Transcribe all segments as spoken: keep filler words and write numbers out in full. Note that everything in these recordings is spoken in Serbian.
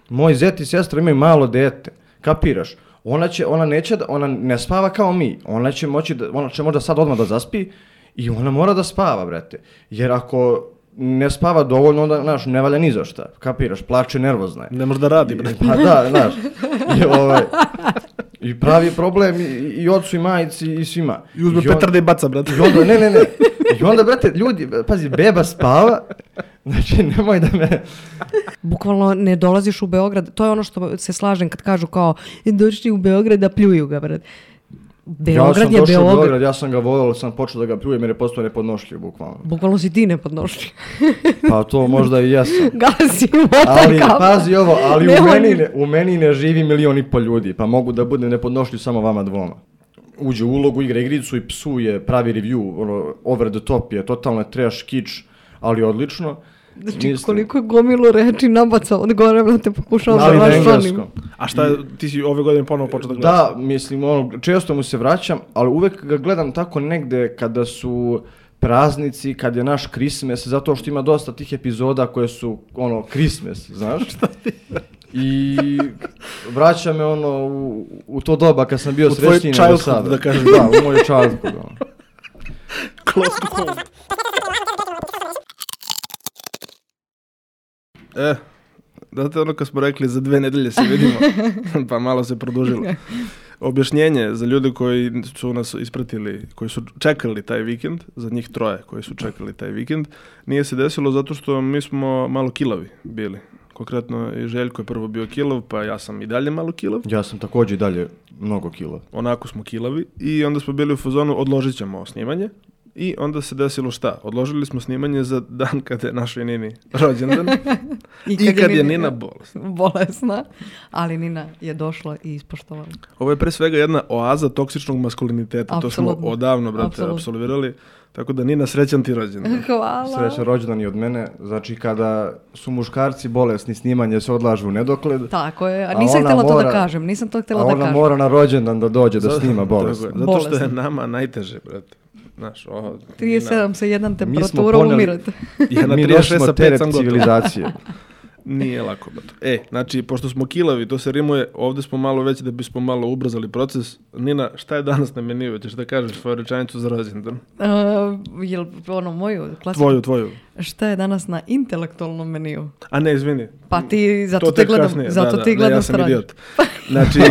Moj zet i sestra imaju malo dete, kapiraš? Ona će, ona neće, da, ona ne spava kao mi, ona će moći, da, ona će možda sad odmah da zaspi i ona mora da spava, brate. Jer ako ne spava dovoljno, onda, znaš, ne valja ni za šta, kapiraš, plače, nervozna je. Ne može da radi, brate. Pa da, znaš, i, ovaj, i pravi problem i, i ocu i majici i svima. I uzme I on, petarde i baca, brate. I onda, ne, ne, ne, i onda, brate, ljudi, pazi, beba spava, znači, nemoj da me... Bukvalno ne dolaziš u Beograd, to je ono što se slažem kad kažu kao, došli u Beograd da pljuju ga, brate. Beograd ja sam je došao Beograd. u Beograd, ja sam ga volio, sam počeo da ga pljujem jer je postao nepodnošljiv, bukvalno. Bukvalno si ti nepodnošljiv. Pa to možda i jesam. Gasi motor ali, kao... pazi ovo, ali ne u, meni ne, u meni ne živi milion i pol ljudi, pa mogu da budem nepodnošljiv samo vama dvoma. Uđe u ulogu, igra igricu i psuje, pravi review, ono, over the top je, totalno je trash, kič, ali odlično. Znači, mislim, koliko je gomilu reči nabacao od gore, da te pokušao da raščlanim. A šta, ti si ove godine ponovo počeo da gledaš? Da, mislim, ono, često mu se vraćam, ali uvek ga gledam tako negde kada su praznici, kad je naš Christmas, zato što ima dosta tih epizoda koje su, ono, Christmas, znaš? Šta ti? I vraća me, ono, u, u to doba kad sam bio srećniji nego sada. Da kažem. Da, u moj childhood, ono. Close to home. E, znate ono kad smo rekli za dve nedelje se vidimo, pa malo se produžilo. Objašnjenje za ljude koji su nas ispratili, koji su čekali taj vikend, za njih troje koji su čekali taj vikend, nije se desilo zato što mi smo malo kilavi bili. Konkretno i Željko je prvo bio kilav, pa ja sam i dalje malo kilav. Ja sam također i dalje mnogo kilav. Onako smo kilavi i onda smo bili u fazonu odložit ćemo snimanje. I onda se desilo šta? Odložili smo snimanje za dan kada je našoj Nini rođendan i kad, I kad je, je Nina bolesna. Bolesna, ali Nina je došla i ispoštovala. Ovo je pre svega jedna oaza toksičnog maskuliniteta. Absolutno. To smo odavno, brate, Absolutno. apsolvirali. Tako da Nina, srećan ti rođendan. Hvala. Srećan rođendan i od mene. Znači kada su muškarci bolesni, snimanje se odlažu u nedogled. Tako je, a nisam a htjela mora, to da kažem. Nisam to htjela da kažem. A ona mora na rođendan da dođe da snima bolesno. Zato što je nama najteže, brate. Znaš, o, trideset sedam sa jedan temperatura umirate. Ja na mi nosimo teret civilizacije. Nije lako, bato. E, znači, pošto smo kilavi, to se rimuje, ovdje smo malo već da bismo malo ubrzali proces. Nina, šta je danas na meniju? Ćeš da kažeš svoju rečanicu za rođendan? Uh, jel ono moju? Klasiku? Tvoju, tvoju. Šta je danas na intelektualnom meniju? A ne, izvini. Pa ti, zato te gledam, kasnije. zato da, ti da, gledam ja sam stranu. Idiot. Znači,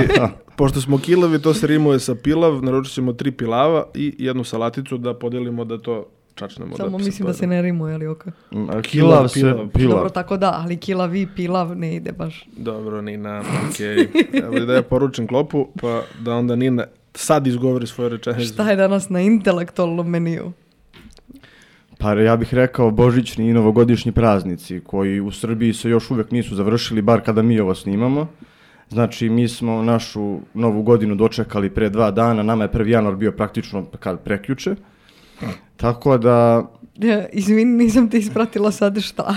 pošto smo kilavi, to se rimuje sa pilav, naručit ćemo tri pilava i jednu salaticu da podijelimo da to čačnemo. Samo da mislim da se ne rimuje, ali ok. Kilav, kilav se pilav. pilav. Dobro, tako da, ali kilavi, pilav ne ide baš. Dobro, Nina, okej. Okay. Evo da ja poručim klopu, pa da onda Nina sad izgovori svoje rečenice. Šta je danas na intelektualnom meniju? Pa ja bih rekao božićni i novogodišnji praznici koji u Srbiji se još uvijek nisu završili, bar kada mi ovo snimamo. Znači, mi smo našu novu godinu dočekali pre dva dana, nama je prvi januar bio praktično kad prekjuče. Tako da... Ja, izvini, nisam te ispratila sad šta.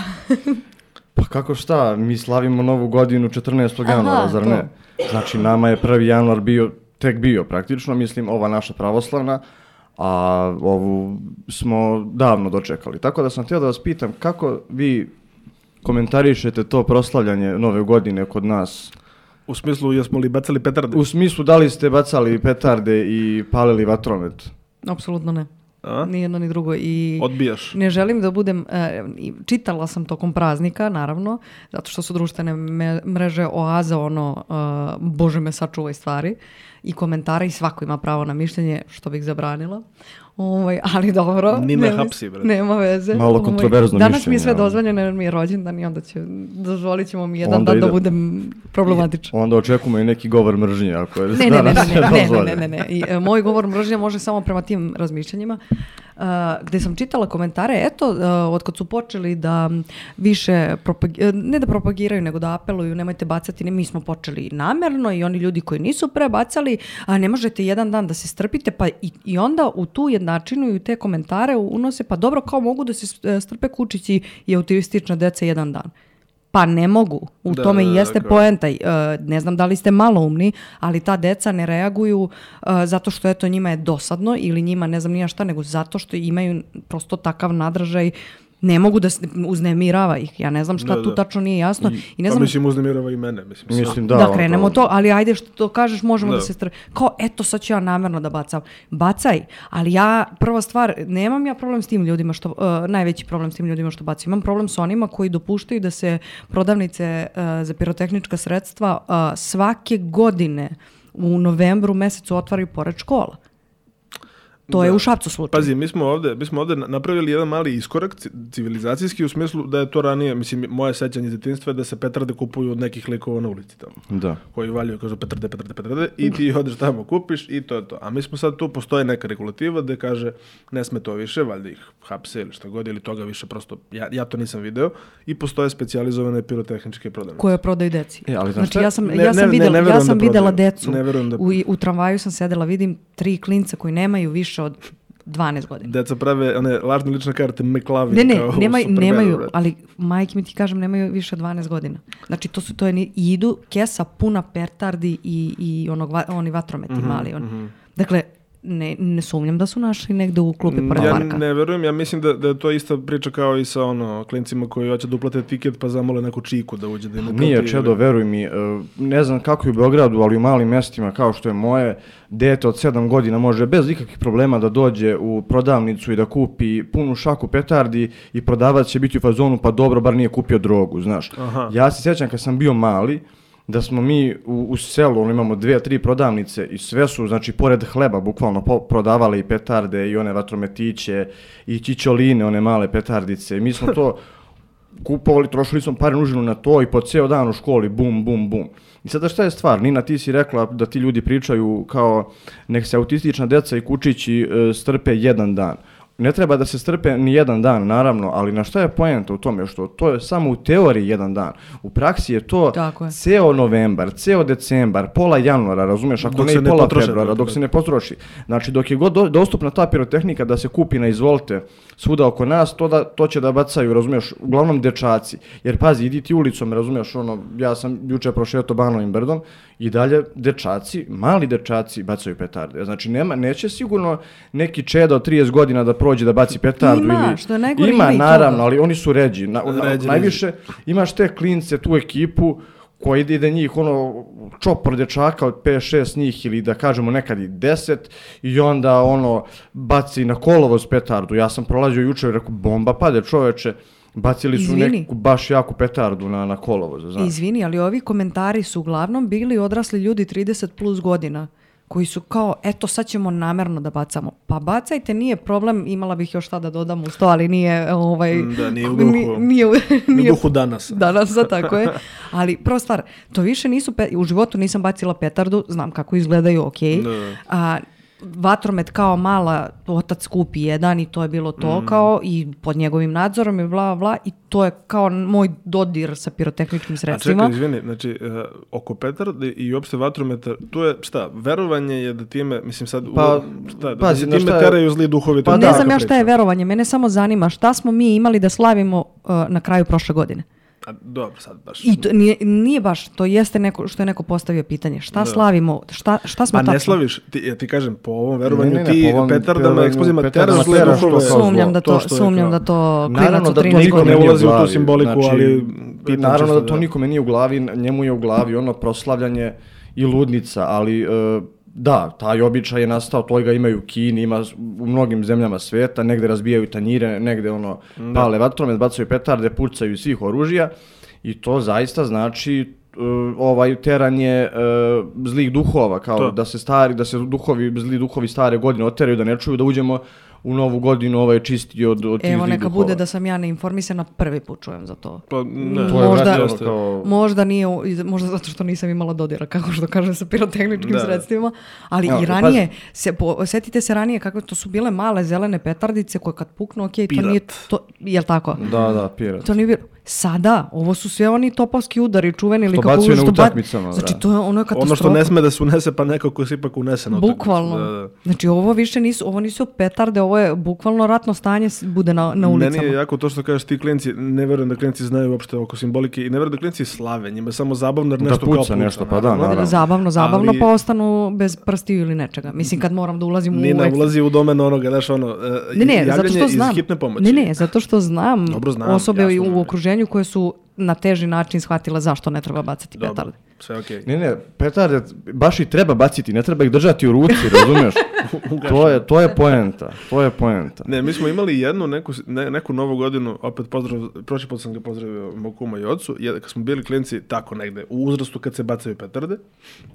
Pa kako šta, mi slavimo novu godinu četrnaestog januara, Aha, zar to. ne? Znači, nama je prvi januar bio, tek bio praktično, mislim, ova naša pravoslavna, a ovu smo davno dočekali. Tako da sam htio da vas pitam, kako vi komentarišete to proslavljanje nove godine kod nas? U smislu, jesmo li bacali petarde? U smislu, da li ste bacali petarde i palili vatromet? Apsolutno ne. A? Ni jedno ni drugo. I odbijaš? Ne želim da budem... E, čitala sam tokom praznika, naravno, zato što su društvene me, mreže oaza, ono, e, Bože me sačuvaj stvari, i komentare, i svako ima pravo na mišljenje, što bih zabranila. Ovaj, ali dobro. Nina hapsi, brate. Nema veze. Malo kontroverzno Danas mišljenje. mi je sve ali... dozvoljeno, jer mi je rođendan i onda će, dozvolit ćemo mi jedan onda dan ide... da budem problematičan. Onda očekujemo i neki govor mržnje, ako je ne, ne, ne, danas ne, ne, dozvoljeno. ne, ne, ne, ne. I, e, moj govor mržnje može samo prema tim razmišljanjima. Uh, gde sam čitala komentare, eto, uh, otkad su počeli da više, propag- ne da propagiraju, nego da apeluju, nemojte bacati, ne, mi smo počeli namerno i oni ljudi koji nisu prebacali, a ne možete jedan dan da se strpite, pa i, i onda u tu jednačinu i u te komentare unose, pa dobro, kao mogu da se strpe kučići i autistična deca jedan dan. Pa ne mogu. U da, tome i jeste da, poenta. Uh, ne znam da li ste maloumni, ali ta deca ne reaguju uh, zato što eto njima je dosadno ili njima ne znam nija šta, nego zato što imaju prosto takav nadražaj Ne mogu da se uznemirava ih. Ja ne znam šta Da, tu da. tačno nije jasno. I ne Pa znam, mislim, uznemirava i mene. Mislim, Mislim, da. da, ono, krenemo to, ali ajde što to kažeš, možemo da, Da. se str... Kao, eto, sad ću ja namjerno da bacam. Bacaj, ali ja, prva stvar, nemam ja problem s tim ljudima, što, uh, najveći problem s tim ljudima što bacaju. Imam problem s onima koji dopuštaju da se prodavnice uh, za pirotehnička sredstva uh, svake godine u novembru mesecu otvaraju pored škola. To je Da. u Šapcu slučaj. Pazi, mi smo ovdje, mi smo ovdje napravili jedan mali iskorak ci- civilizacijski u smislu da je to ranije, mislim, moje sećanje iz djetinjstva je da se petarde kupuju od nekih likova na ulici tamo. Da. Koji valjuju, kažu petarde, petarde, petarde i ti odeš tamo kupiš i to je to. A mi smo sad tu, postoje neka regulativa da kaže ne sme to više, valjda ih hapse ili šta god ili toga više prosto, ja, ja to nisam video i postoje specijalizovane pirotehničke prodavnice. Koje prodaju deci. E, ali znaš znači šta? ja sam, Ne- ja sam, ne- ne- videla, ne ja verujem sam da videla prodaju. decu. Ne verujem da- U, u tramvaju sam sedela, vidim tri klinca koji nemaju više od dvanaest godina. Deca prave one lažne lične karte McLovin. Ne, ne, kao u nemaj, Supermanu, nemaju, brate. ali majke mi ti kažem, nemaju više od dvanaest godina. Znači, to su, to je, ni- i idu kesa puna petardi i, i onog, va- oni vatrometi Mhm, mali. On. Dakle, ne, ne sumnjam da su našli negde u klupi pored Ja parka. ne verujem, ja mislim da, da je to ista priča kao i sa ono klincima koji hoće da uplate tiket pa zamole neku čiku da uđe da im Nije, uplati. Čedo, veruj mi, e, ne znam kako je u Beogradu, ali u malim mjestima kao što je moje, dete od sedam godina može bez ikakvih problema da dođe u prodavnicu i da kupi punu šaku petardi i prodavac će biti u fazonu, pa dobro, bar nije kupio drogu, znaš. Aha. Ja se sjećam kad sam bio mali, da smo mi u, u selu, ono, imamo dvije, tri prodavnice i sve su, znači, pored hleba bukvalno po, prodavale i petarde i one vatrometiće i čičoline, one male petardice. I mi smo to kupovali, trošili smo pare nužno na to i po ceo dan u školi, bum, bum, bum. I sada šta je stvar? Nina, ti si rekla da ti ljudi pričaju kao nek se autistična deca i kučići e, strpe jedan dan. Ne treba da se strpe ni jedan dan, naravno, ali na šta je poenta u tome? Što to je samo u teoriji jedan dan. U praksi je to Tako je. ceo novembar, ceo decembar, pola januara, razumiješ, ako Dok ne se i ne pola potroše, februara, dok- dok se ne potroši. Znači, dok je god do- dostupna ta pirotehnika da se kupi na izvolte svuda oko nas, to, da, to će da bacaju, razumiješ, uglavnom dečaci. Jer pazi, idi ti ulicom, razumiješ, ono, ja sam juče prošetao Banovim brdom i dalje dečaci, mali dečaci bacaju petarde. Znači, nema, neće sigurno neki čeda od trideset godina da prođe da baci petardu. Ima, ili... što je najgore, ima, ima i naravno, toga. ali oni su ređi. Na, na- Ređi, najviše imaš te klince, tu ekipu koji ide, ide njih, ono, čopor dječaka od pet šest njih ili da kažemo nekad i deset i onda, ono, baci na kolovoz petardu. Ja sam prolazio juče i rekao, bomba pade, čoveče. Bacili su Izvini. neku baš jaku petardu na, na kolovoz, znaš. Izvini, ali ovi komentari su uglavnom bili odrasli ljudi trideset plus godina koji su kao, eto sad ćemo namjerno da bacamo. Pa bacajte, nije problem, imala bih još šta da dodam uz to, ali nije, ovaj, Da, nije u duhu. ni- nije, u- U nije duhu danas. danas, da, tako je. Ali prva stvar, to više nisu, pe- u životu nisam bacila petardu, znam kako izgledaju, ok. Da. A, vatromet kao mala, otac kupi jedan i to je bilo to kao i pod njegovim nadzorom i bla bla i to je kao moj dodir sa pirotehničkim A sredstvima. čekaj, izvini, znači, uh, oko petarde i uopšte vatrometa, tu je, šta, verovanje je da time, mislim sad, Pa, u, šta, da pazi, se znaš time šta je- teraju zli duhovi. to Pa je da, Ne taka znam ja šta je priča. verovanje, mene samo zanima šta smo mi imali da slavimo uh, na kraju prošle godine. A, dobro, sad baš. I to nije, nije baš, to jeste neko što je neko postavio pitanje. Šta slavimo, šta, šta smo Pa tačno? ne slaviš, ti, ja ti kažem, po ovom verovanju Ne, ne, ne, ti po ovom petardama, verovanju eksplozivima petardama teraš zle teraš to duhove. kao Sumnjam da to, što je sumnjam kao- da to klinac Naravno od da to trinaest nikome ne godina. nije u ulazi u tu glavi. simboliku, ali pitam naravno čisto da to da- nikome nije u glavi, njemu je u glavi ono proslavljanje i ludnica, ali e, da, taj običaj je nastao, to ga imaju u Kini, ima u mnogim zemljama sveta, negde razbijaju tanjire, negde ono pale vatromet, bacaju petarde, pucaju iz svih oružja i to zaista znači e, ovaj teranje e, zlih duhova, kao To. da se stari, da se duhovi, zli duhovi stare godine oteraju, da ne čuju, da uđemo u novu godinu ovaj čisti od, od tih Evo zlih neka duhova. bude da sam ja neinformisana, prvi put čujem za to. Pa, ne. To je Možda- vratno Jeste. kao... Možda nije, u- iz- možda zato što nisam imala dodira, kako što kažem, sa pirotehničkim Da. sredstvima, ali Evo, i ranije, se, po, setite se ranije kako to su bile male zelene petardice koje kad puknu, ok, to Pirat. nije, to, jel tako? Da, da, pirat. To nije bilo. Sada, ovo su sve oni topovski udari, čuveni ili Što kako bacuju na što ba- utakmicama, Znači, da. to je ono je katastrofa. Ono što ne sme da se unese, pa nekako se ipak unese na utakmicu. Bukvalno. Da, da. Znači, ovo više nisu, ovo nisu petarde, ovo je bukvalno ratno stanje s- bude na, na ulicama. Meni je jako to što kažeš ti klinci, ne verujem da klinci znaju uopšte oko simbolike i ne verujem da klinci slave, njima je samo zabavno jer Da nešto puca kao puca. nešto, pa da, naravno. Zabavno, zabavno, Ali- pa ostanu bez prstiju ili nečega. Mislim, kad moram da ulazim u... Nina eks- ulazi u domen onoga, znaš ono, e, Ne, ne, zato javljanje što znam. iz hitne pomoći. Ne, ne, zato što znam, Dobro, znam, osobe jasno u nam je. okruženju koje su na teži način shvatile zašto ne treba bacati Dobro, petarde. sve okej. Ne, ne, petarde baš i treba baciti, ne treba ih držati u ruci, razumiješ? to, je, to je poenta, to je poenta. Ne, mi smo imali jednu neku, ne, neku novu godinu, opet pozdrav, prošli put sam ga pozdravio mog kuma i ocu, je, kad smo bili klinci tako negde, u uzrastu kad se bacaju petarde,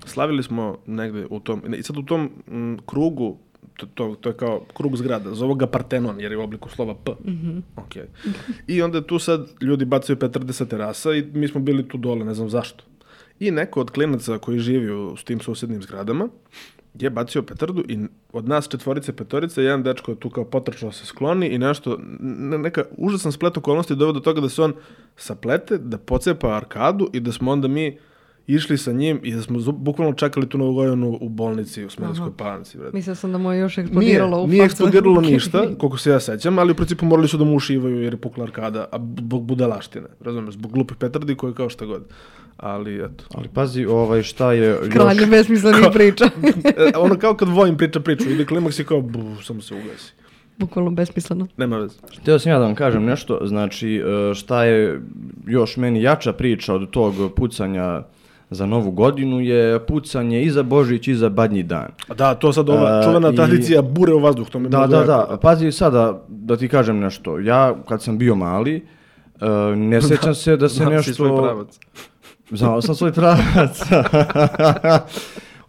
slavili smo negde u tom, i sad u tom m, krugu, to, to, to je kao krug zgrada, zove ga Partenon jer je u obliku slova P. Mm-hmm. Okay. I onda tu sad ljudi bacaju petarde sa terasa i mi smo bili tu dole, ne znam zašto. I neko od klinaca koji živi u s tim susjednim zgradama je bacio petardu i od nas četvorice, petorice, jedan dečko je tu kao potrčao se skloni i nešto, ne, neka užasan splet okolnosti doveo do toga da se on saplete, da pocepa arkadu i da smo onda mi išli sa njim i da smo zu- bukvalno čekali tu Novu godinu u bolnici u Smederevskoj Palanci. Brate. Mislila sam da mu je još Nije, eksplodiralo u nije facu. eksplodiralo ništa, koliko se ja sećam, ali u principu morali su da mu ušivaju jer je pukla arkada, a zbog budalaštine, razumiješ, zbog glupih petardi koje kao šta god. Ali eto. Ali pazi, ovaj, šta je još... Kralje besmislenih priča. E, ono kao kad Vojin priča priču, ide klimaks i kao, bu, samo se ugasi. Bukvalno besmisleno. Nema veze. Htio sam ja da vam kažem nešto, znači e, šta je još meni jača priča od tog pucanja za Novu godinu je pucanje i za Božić i za Badnji dan. A da, to sad ova A, čuvena i- tradicija bure u vazduh, to mi je Da, mnogo da, jako. da, pazi sada da ti kažem nešto. Ja kad sam bio mali, e, ne sjećam se da se Znam si nešto... svoj pravac. Znao sam svoj pravac.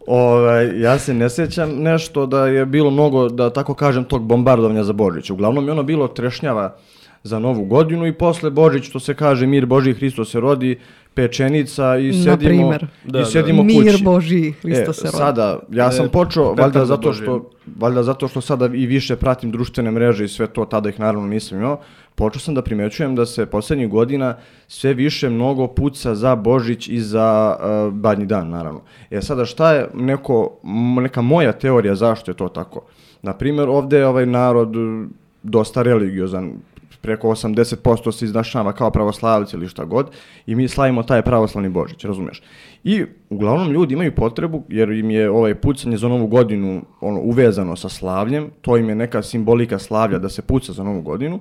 Ovaj, ja se ne sjećam nešto da je bilo mnogo, da tako kažem, tog bombardovanja za Božić. Uglavnom je ono bilo trešnjava za Novu godinu i posle Božić, što se kaže, mir Božji, Hristo se rodi, pečenica i Na sedimo, primer. i Da, da. sedimo Mir kući. Božji, Hristo E, se rodi. sada, ja sam E, počeo, petarda valjda zato, Božja. što, valjda zato što sada i više pratim društvene mreže i sve to, tada ih naravno nisam imao, počeo sam da primećujem da se posljednjih godina sve više mnogo puca za Božić i za uh, Badnji dan, naravno. E sada, šta je neko, m- neka moja teorija zašto je to tako? Naprimjer, ovdje je ovaj narod uh, dosta religiozan, preko osamdeset posto se iznašava kao pravoslavci ili šta god i mi slavimo taj pravoslavni Božić, razumiješ? I uglavnom ljudi imaju potrebu, jer im je ovaj pucanje za Novu godinu ono, uvezano sa slavljem, to im je neka simbolika slavlja da se puca za Novu godinu,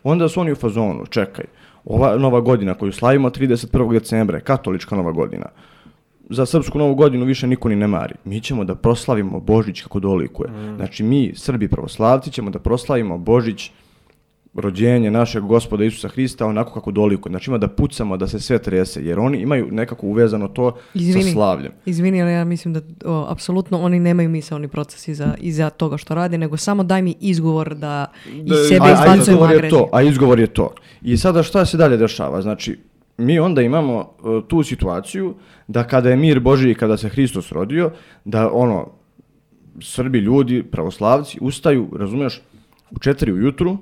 onda su oni u fazonu, čekaj, ova Nova godina koju slavimo trideset prvog decembra je katolička Nova godina. Za srpsku Novu godinu više niko ni ne mari. Mi ćemo da proslavimo Božić kako dolikuje. Mm. Znači mi, Srbi pravoslavci, ćemo da proslavimo Božić, rođenje našeg Gospoda Isusa Hrista onako kako dolikuje. Znači ima da pucamo, da se sve trese, jer oni imaju nekako uvezano to Izvini. sa slavljem. Izvini, ali ja mislim da o, apsolutno oni nemaju misaoni proces iza, iza toga što rade, nego samo daj mi izgovor da Da, iz sebe a, a izbacujem izgovor je agresiju. to, a izgovor je to. I sada šta se dalje dešava? Znači, mi onda imamo uh, tu situaciju da kada je mir Božji i kada se Hristos rodio, da ono, Srbi ljudi, pravoslavci, ustaju, razumiješ, u četiri ujutru,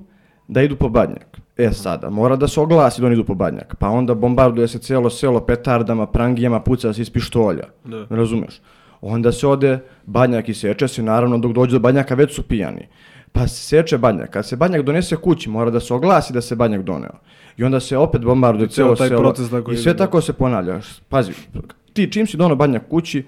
da idu po Badnjak. E sada, mora da se oglasi da oni idu po Badnjak, pa onda bombarduje se cijelo selo petardama, prangijama, puca se iz pištolja, Da. razumiješ? Onda se ode Badnjak i seče se, naravno dok dođe do Badnjaka već su pijani. Pa se seče Badnjak, kad se Badnjak donese kući, mora da se oglasi da se Badnjak doneo. I onda se opet bombarduje cijelo cijelo taj selo proces tako i ide, sve da. tako se ponavlja. Pazi, ti čim si doneo Badnjak kući,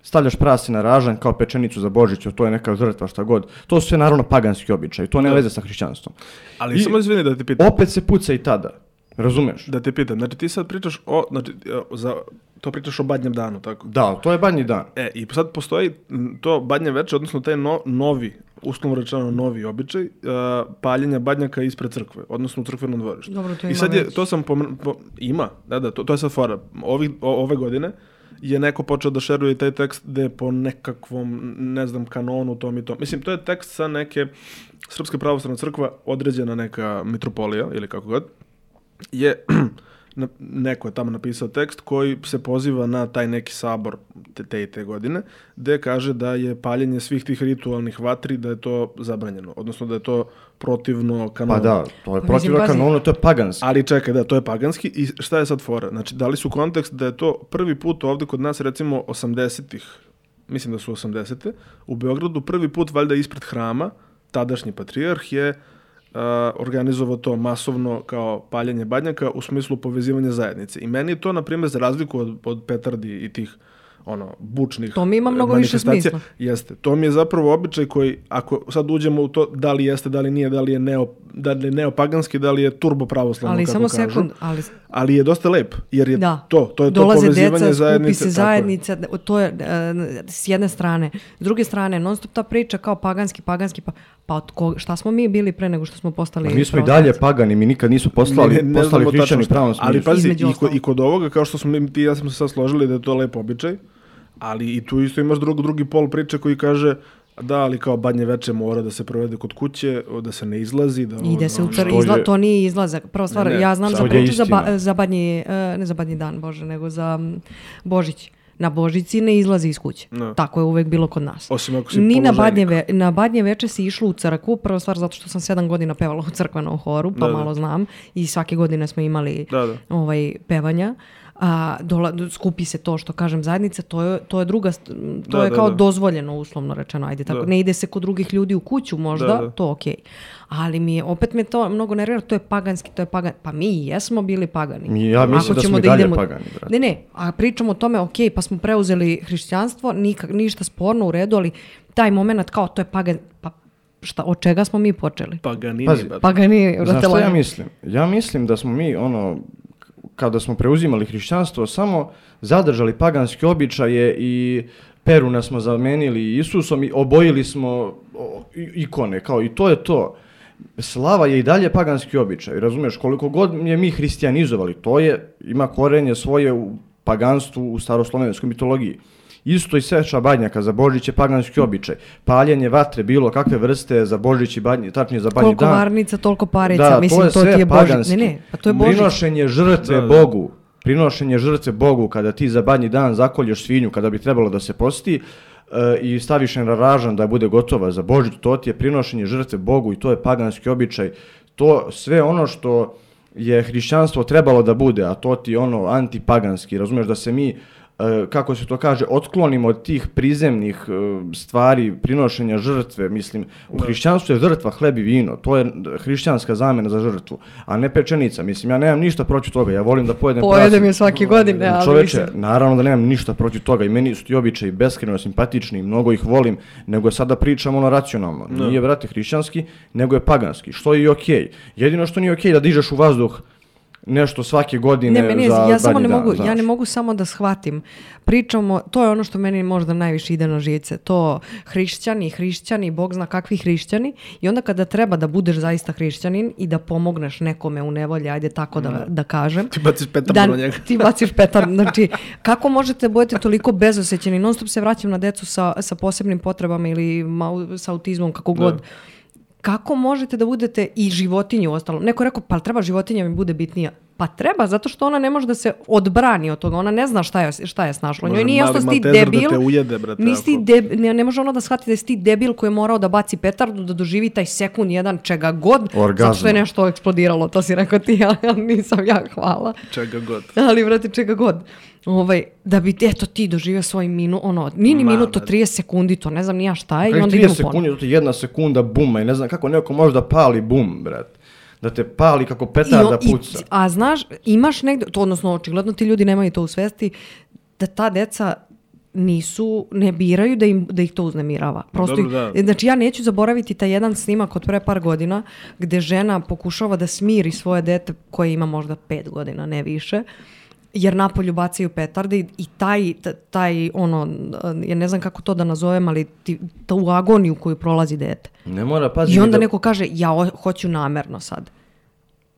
stavljaš prase na ražanj kao pečenicu za Božić, to je neka žrtva, šta god. To su sve naravno paganski običaji, to nema Da. veze sa hrišćanstvom. Ali I samo izvini da ti pitam. opet se puca i tada, razumeš? Da te pitam, znači ti sad pričaš o, znači, e, za, to pričaš o Badnjem danu, tako? Da, to je Badnji dan. E, i sad postoji m, to Badnje veče, odnosno taj no, novi, uslovno rečeno novi običaj, uh, paljenja badnjaka ispred crkve, odnosno u crkvenom dvorištu. Dobro, to I ima sad je, već. to sam pomr- po, ima, da, da, to, to je sad fora. Ovih, o, ove godine je neko počeo da šeruje taj tekst gde po nekakvom, ne znam, kanonu, tom i tom. Mislim, to je tekst sa neke Srpske pravoslavna crkva, određena neka mitropolija, ili kako god, je na, neko je tamo napisao tekst koji se poziva na taj neki sabor te, te i te godine, gde kaže da je paljenje svih tih ritualnih vatri, da je to zabranjeno, odnosno da je to protivno kanonu. Pa da, to je Pa protivno mislim, pazi. kanonu, to je paganski. Ali čekaj, da, to je paganski i šta je sad fora? Znači, dali su kontekst da je to prvi put ovde kod nas, recimo, osamdesetih, mislim da su osamdesete, u Beogradu prvi put valjda ispred hrama, tadašnji patrijarh je uh, organizovao to masovno kao paljenje badnjaka u smislu povezivanja zajednice. I meni je to, na primjer, za razliku od, od petardi i tih ono, bučnih To mi ima mnogo više manifestacija, smisla. Jeste. To mi je zapravo običaj koji, ako sad uđemo u to da li jeste, da li nije, da li je, neo, da li je neopaganski, da li je turbo pravoslavno, Ali kako samo kažu. sekund, ali Ali je dosta lep, jer je da. to, to je Dolaze to povezivanje deca, zajednice. skupi se tako je. zajednica, to je e, s jedne strane. S druge strane, non stop ta priča kao paganski, paganski, pa, pa od koga, šta smo mi bili pre nego što smo postali Mi smo i pravoslavci? dalje pagani, mi nikad nismo postali, Ne- ne postali znamo hrišćani tačno pravom šta. Ali smislu. pazi, Između i, ko, ostalog. i kod ovoga, kao što smo mi, ti i ja smo se sad složili da je to lep običaj, ali i tu isto imaš drug, drugi pol priče koji kaže da, ali kao badnje veče mora da se provede kod kuće, da se ne izlazi. Da Ide se u ono- car, što izla, je- to nije izlazak. Prva stvar, Ne, ne, ja znam sad za je priču za, ba, istina. za badnji, e, ne za badnji dan, Bože, nego za m, Božić. Na Božici ne izlazi iz kuće. No. Tako je uvek bilo kod nas. Osim ako si Ni na položajnik. badnje, ve, na badnje veče si išlo u crkvu, prva stvar zato što sam sedam godina pevala u crkvenom horu, pa Da, da. malo znam. I svake godine smo imali Da, da. ovaj, pevanja. A, dola, skupi se to što kažem zajednica, to je, to je druga, st- to Da, je da, kao da. dozvoljeno uslovno rečeno, ajde tako, Da. ne ide se kod drugih ljudi u kuću možda, Da, da. to okej. Ali mi je, opet me to mnogo nervira, to je paganski, to je pagan, pa mi i jesmo bili pagani. Mi- ja mislim Ako da ćemo smo i dalje idemo- pagani, brate. Ne, ne, a pričamo o tome, okej, pa smo preuzeli hrišćanstvo, nikak, ništa sporno u redu, ali taj moment kao to je pagan, pa šta, od čega smo mi počeli? Paganini, Pazi, brate. Pagani, Znaš brate, šta ja lagano. mislim? Ja mislim da smo mi, ono, kada smo preuzimali hrišćanstvo, samo zadržali paganske običaje i Peruna smo zamenili Isusom i obojili smo o, i- ikone, kao i to je to. Slava je i dalje paganski običaj, razumiješ, koliko god je mi hristijanizovali, to je, ima korenje svoje u paganstvu, u staroslovenskoj mitologiji. Isto i seča badnjaka za Božić je paganski običaj. Paljenje vatre, bilo kakve vrste za Božić i badnji, tačnije za badnji Koliko dan. varnica, toliko parica, Da, mislim, to je to sve ti je Božić. paganski. Ne, ne, pa to je Božić. Prinošenje žrtve Da, da. Bogu. Prinošenje žrtve Bogu kada ti za badnji dan zakolješ svinju kada bi trebalo da se posti e, i staviš je na ražan da bude gotova za Božić, to ti je prinošenje žrtve Bogu i to je paganski običaj. To sve ono što je hrišćanstvo trebalo da bude, a to ti je ono antipaganski, razumiješ da se mi e, kako se to kaže, otklonimo od tih prizemnih e, stvari, prinošenja žrtve, mislim, u hrišćanstvu je žrtva hleb i vino, to je hrišćanska zamena za žrtvu, a ne pečenica, mislim, ja nemam ništa protiv toga, ja volim da pojedem Pojedem prasad. je svake godine, ali Čoveče, mislim. naravno da nemam ništa protiv toga i meni su ti običaji beskrajno simpatični, mnogo ih volim, nego sada pričam ono racionalno, nije, brate, hrišćanski, nego je paganski, što je i okej. Jedino što nije okej da dižeš u vazduh nešto svake godine Ne, meni je, za ja samo badnji ne dan, mogu, ja znaš. ne mogu samo da shvatim. Pričamo, to je ono što meni možda najviše ide na živce. To hrišćani, hrišćani, Bog zna kakvi hrišćani. I onda kada treba da budeš zaista hrišćanin i da pomogneš nekome u nevolji, ajde tako da, da kažem. Ti baciš petardu Da, na njega. ti baciš petar. Znači, kako možete da budete toliko bezosećeni? Non stop se vraćam na decu sa, sa posebnim potrebama ili mau- sa autizmom, kako god. Kako možete da budete i životinju ostalo? Neko je rekao, pa treba životinja mi bude bitnija. Pa treba, zato što ona ne može da se odbrani od toga. Ona ne zna šta je, šta je snašlo. Njoj Može nije mali jasno si ti Maltezer da debil. te ujede, brate, nisi ti ako- deb- ne, ne može ona da shvati da si ti debil koji je morao da baci petardu, da doživi taj sekund jedan čega god. Zato što je Orgazma. nešto eksplodiralo. To si rekao ti, ja, ja nisam ja, hvala. Čega god. Ali, vrati, čega god. Ovaj, da bi, eto, ti doživio svoj minut, ono, nije ni Ma, minut, to brate. trideset sekundi, to ne znam ni ja šta je, i Kakvih onda idemo trideset ponovno. sekundi, to ti jedna sekunda buma i ne znam kako neko može da pali bum, brat. Da te pali kako I petarda on- i- puca. a znaš, imaš negdje, to odnosno očigledno ti ljudi nemaju to u svesti, da ta deca nisu, ne biraju da, im, da ih to uznemirava. Prosto, dobro, ih- da. znači ja neću zaboraviti taj jedan snimak od pre par godina gde žena pokušava da smiri svoje dete koje ima možda pet godina, ne više, jer napolju bacaju petarde i, i taj, t- taj, ono, ja ne znam kako to da nazovem, ali ti, tu agoniju koju prolazi dete. Ne mora paziti. I onda da... neko kaže, ja o- hoću namerno sad.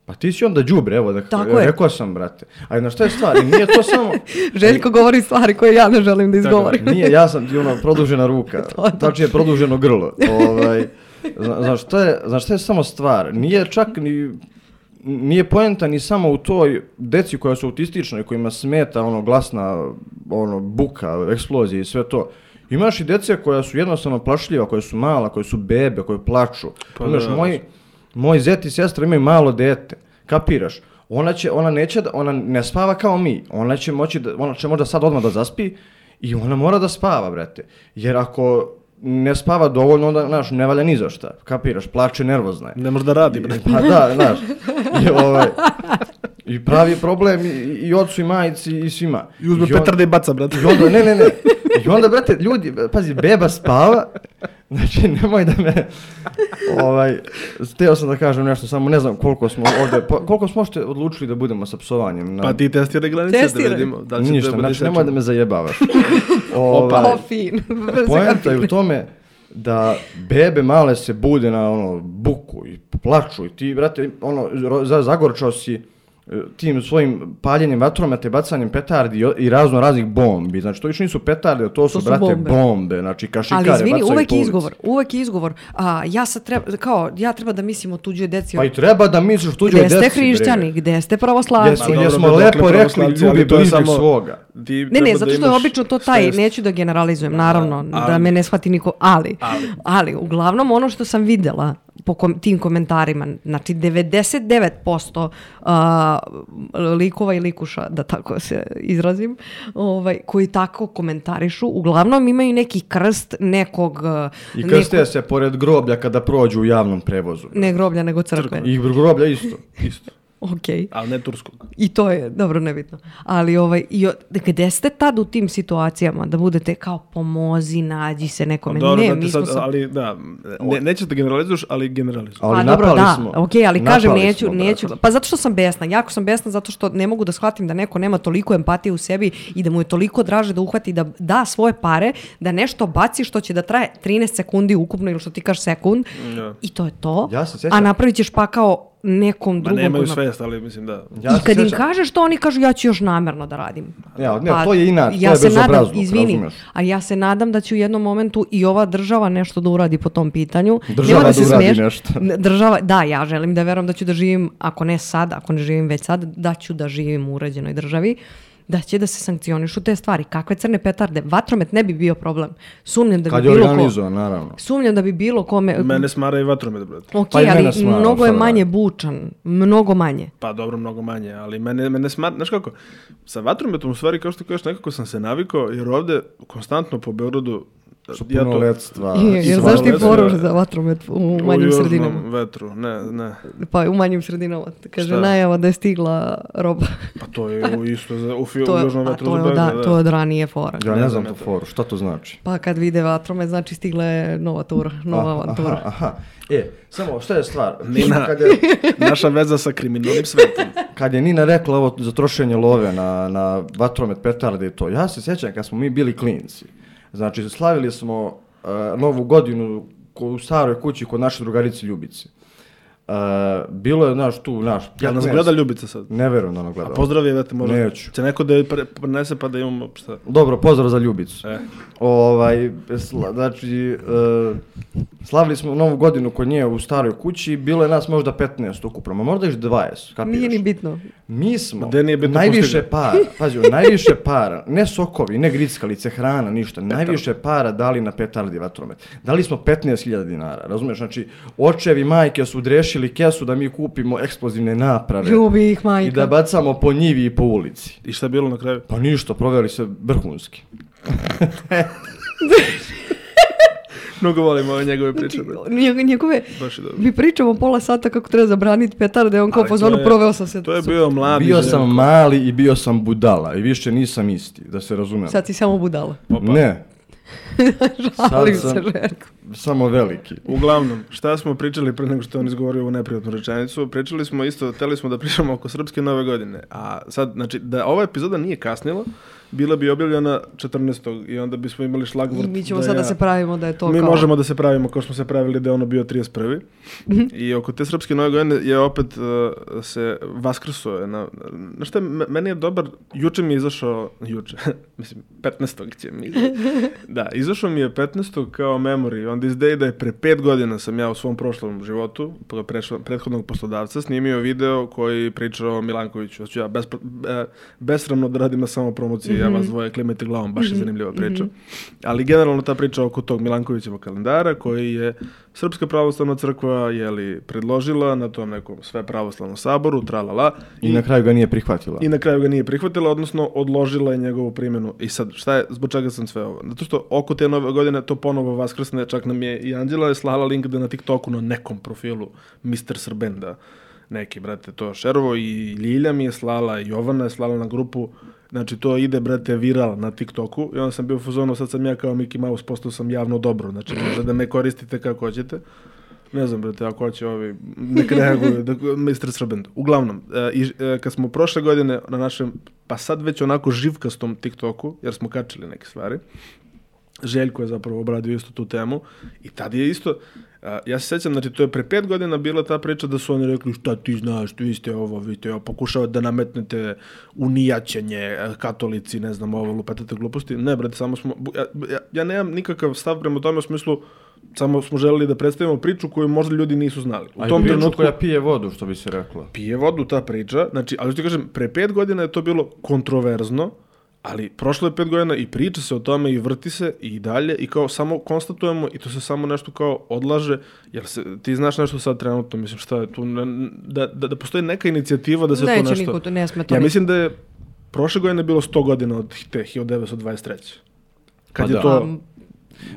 Pa ti si onda đubre, evo, da, Tako je. rekao sam, brate. Ali na šta je stvar? I nije to samo... Željko govori stvari koje ja ne želim da izgovorim. Nije, ja sam ti ono produžena ruka, tačnije produženo grlo. Ovaj, zna- znaš, šta je, znaš šta je samo stvar? Nije čak ni... nije poenta ni samo u toj deci koja su autistična i kojima smeta ono glasna ono buka, eksplozije i sve to. Imaš i dece koja su jednostavno plašljiva, koja su mala, koje su bebe, koje plaču. Pa Imaš, da, moj, moj zet i sestra imaju malo dete, kapiraš? Ona će, ona neće, da, ona ne spava kao mi, ona će moći da, ona će možda sad odmah da zaspi i ona mora da spava, brate. Jer ako ne spava dovoljno, onda, znaš, ne valja ni za šta, kapiraš, plače, nervozna je. Ne može da radi, brate. Pa da, znaš, i, ovaj, i pravi problem i, i ocu i majici i svima. I uzme petarde i baca, brate. I onda, ne, ne, ne. I onda, brate, ljudi, pazi, beba spava, znači nemoj da me, ovaj, htio sam da kažem nešto, samo ne znam koliko smo ovdje, koliko smo ošte odlučili da budemo sa psovanjem. Na... Pa ti testiraj granice da vidimo. Da li Ništa, znači nemoj da me zajebavaš. Ovaj, o, fin. Poenta je u tome da bebe male se bude na ono buku i plaču i ti, brate, ono, zagorčao si tim svojim paljenjem vatrometa i bacanjem petardi i razno raznih bombi. Znači, to više nisu petarde, to su, to su brate, bombe. bombe. Znači, kašikare ali izvini, bacaju uvek je izgovor. Uvek je izgovor. A, ja sad treba, kao, ja treba da mislim o tuđoj deci. Pa i treba da misliš o tuđoj deci. Gde ste hrišćani, gde ste pravoslavni? Jesmo, jesmo lepo rekli, ljubi bližnjeg svoga. Ne, ne, zato što je obično to taj, neću da generalizujem, naravno, da me ne shvati niko, ali, ali, uglavnom ono što sam videla po kom, tim komentarima, znači devedeset devet posto uh, likova i likuša, da tako se izrazim, ovaj, koji tako komentarišu, uglavnom imaju neki krst nekog... Uh, I krste nekog... se pored groblja kada prođu u javnom prevozu. Ne groblja, nego crkve. I groblja isto, isto. Okay. Ali ne turskog. I to je, dobro, nebitno. Ali ovaj, i, gde ste tad u tim situacijama da budete kao pomozi, nađi se nekome? Dobro, ne, da mi sad, smo... ali da, ne, nećeš da generalizuješ, ali generalizuješ. Pa ali dobro, da, smo. ok, ali napali kažem, neću, smo, neću, pa zato što sam besna, jako sam besna zato što ne mogu da shvatim da neko nema toliko empatije u sebi i da mu je toliko draže da uhvati da da svoje pare, da nešto baci što će da traje trinaest sekundi ukupno ili što ti kažeš sekund ja. I to je to, ja a napravit ćeš pa kao nekom drugom. Ma nemaju svest, ali mislim da... Ja I kad im kažeš to, oni kažu ja ću još namerno da radim. Ja, ne, pa, to je inače, ja to je bezobrazno, izvini, razumeš. A ja se nadam da će u jednom momentu i ova država nešto da uradi po tom pitanju. Država da, da uradi smiješ, nešto. Država, da, ja želim da verujem da ću da živim, ako ne sad, ako ne živim već sad, da ću da živim u uređenoj državi. Da će da se sankcionišu te stvari. Kakve crne petarde? Vatromet ne bi bio problem. Sumnjam da kad bi bilo ko... naravno. Sumnjam da bi bilo kome... Mene smara i vatromet, brate. Ok, pa ali smara, mnogo je manje bučan. Mnogo manje. Pa dobro, mnogo manje. Ali mene, mene smara... Znaš kako? Sa vatrometom u stvari, kao što kažeš, nekako sam se navikao, jer ovde konstantno po Beogradu su punoletstva. Jer znaš ti poruš za vatromet u manjim u sredinama? U vetru, ne, ne. Pa u manjim sredinama. Kaže najava da je stigla roba. Pa to je u isto za, u, fi, u južnom vetru to je, za da, da. To je od ranije fora. Ja ne, ne znam tu foru, šta to znači? Pa kad vide vatromet, znači stigla je nova tura, nova avantura. Aha, aha. E, samo, šta je stvar? Nina, kad je, naša veza sa kriminalnim svetom. Kad je Nina rekla ovo za trošenje love na, na vatromet, petarde i to, ja se sjećam kad smo mi bili klinci. Znači, slavili smo uh, novu godinu u staroj kući kod naše drugarice Ljubice. Uh, bilo je, znaš, tu, naš... Ja nas gleda Ljubica sad? Ne verujem da ono gleda. A pozdrav je, vete, možda... Neću. Će neko da je prenese pa da imamo šta? Dobro, pozdrav za Ljubicu. E. Ovaj, sla, znači, uh, slavili smo novu godinu kod nje u staroj kući, bilo je nas možda petnaest ukupno, ma možda još dvadeset, kapiraš? Nije ni bitno. Mi smo bitno najviše para, pazi, najviše para, ne sokovi, ne grickalice, hrana, ništa, najviše para dali na petardi vatromet. Dali smo petnaest hiljada dinara, razumiješ? Znači, očevi, majke su drešili kesu da mi kupimo eksplozivne naprave. Ljubi ih, majka. I da bacamo po njivi i po ulici. I šta je bilo na kraju? Pa ništa, proveli se vrhunski. Mnogo volimo ove njegove priče. Znači, njegove, mi pričamo pola sata kako treba zabraniti petarde, on kao pozvanu proveo sam se. To je bio mladi. Bio sam mali i bio sam budala i više nisam isti, da se razumem. Sad si samo budala. Opa. Ne. Žalim se, Željko. Samo veliki. Uglavnom, šta smo pričali pre nego što on izgovorio ovu neprijatnu rečenicu? Pričali smo isto, hteli smo da pričamo oko srpske nove godine. A sad, znači, da ova epizoda nije kasnila, bila bi objavljena četrnaestog i onda bismo imali šlagvort. I mi ćemo da sad ja, da se pravimo da je to mi kao... Mi možemo da se pravimo kao smo se pravili da je ono bio trideset prvi I oko te srpske nove godine je opet uh, se vaskrso. Na, na šta, meni je dobar, juče mi je izašao, juče, mislim, petnaestog će mi izašao. Da, izašao mi je petnaestog kao memory, onda izdeje da je pre pet godina sam ja u svom prošlom životu, prešlo, prethodnog poslodavca, snimio video koji priča o Milankoviću. Znači ja bespro, be, besramno da radim na samo promociji, mm-hmm. ja vas dvoje klimete glavom, baš je zanimljiva priča. Mm-hmm. Ali generalno ta priča oko tog Milankovićevog kalendara koji je Srpska pravoslavna crkva jeli, predložila na tom nekom sve pravoslavnom saboru, tralala. I, I na kraju ga nije prihvatila. I na kraju ga nije prihvatila, odnosno odložila je njegovu primjenu. I sad, šta je, zbog čega sam sve ovo? Zato što oko te nove godine to ponovo vaskrsne, čak nam je i Anđela je slala link da na TikToku na nekom profilu mister Srbenda neki, brate, to šerovo i Ljilja mi je slala, i Jovana je slala na grupu. Znači, to ide, brate, viral na TikToku i onda sam bio u fazonu, sad sam ja kao Mickey Mouse, postao sam javno dobro. Znači, može da me koristite kako hoćete. Ne znam, brate, ako hoće ovi, nek reaguju, da, mister Srbend. Uglavnom, e, i, e, kad smo prošle godine na našem, pa sad već onako živkastom TikToku, jer smo kačili neke stvari, Željko je zapravo obradio isto tu temu i tad je isto, a, ja se sjećam, znači to je pre pet godina bila ta priča da su oni rekli šta ti znaš, vi ste ovo, vi ste ovo, pokušavate da nametnete unijaćenje, katolici, ne znam, ovo, lupetate gluposti. Ne, brate, samo smo, ja, ja, ja nemam nikakav stav prema tome u smislu, samo smo želeli da predstavimo priču koju možda ljudi nisu znali. U tom trenutku koja pije vodu, što bi se reklo. Pije vodu ta priča, znači, ali što ti kažem, pre pet godina je to bilo kontroverzno, ali prošlo je pet godina i priča se o tome i vrti se i dalje i kao samo konstatujemo i to se samo nešto kao odlaže, jer se, ti znaš nešto sad trenutno, mislim šta je tu, da, da, da postoji neka inicijativa da se Neće to nešto... niko, to ne sme to ja mislim da je prošle godine bilo sto godina od te hiljadu devetsto dvadeset treće Kad pa je da. to... Um,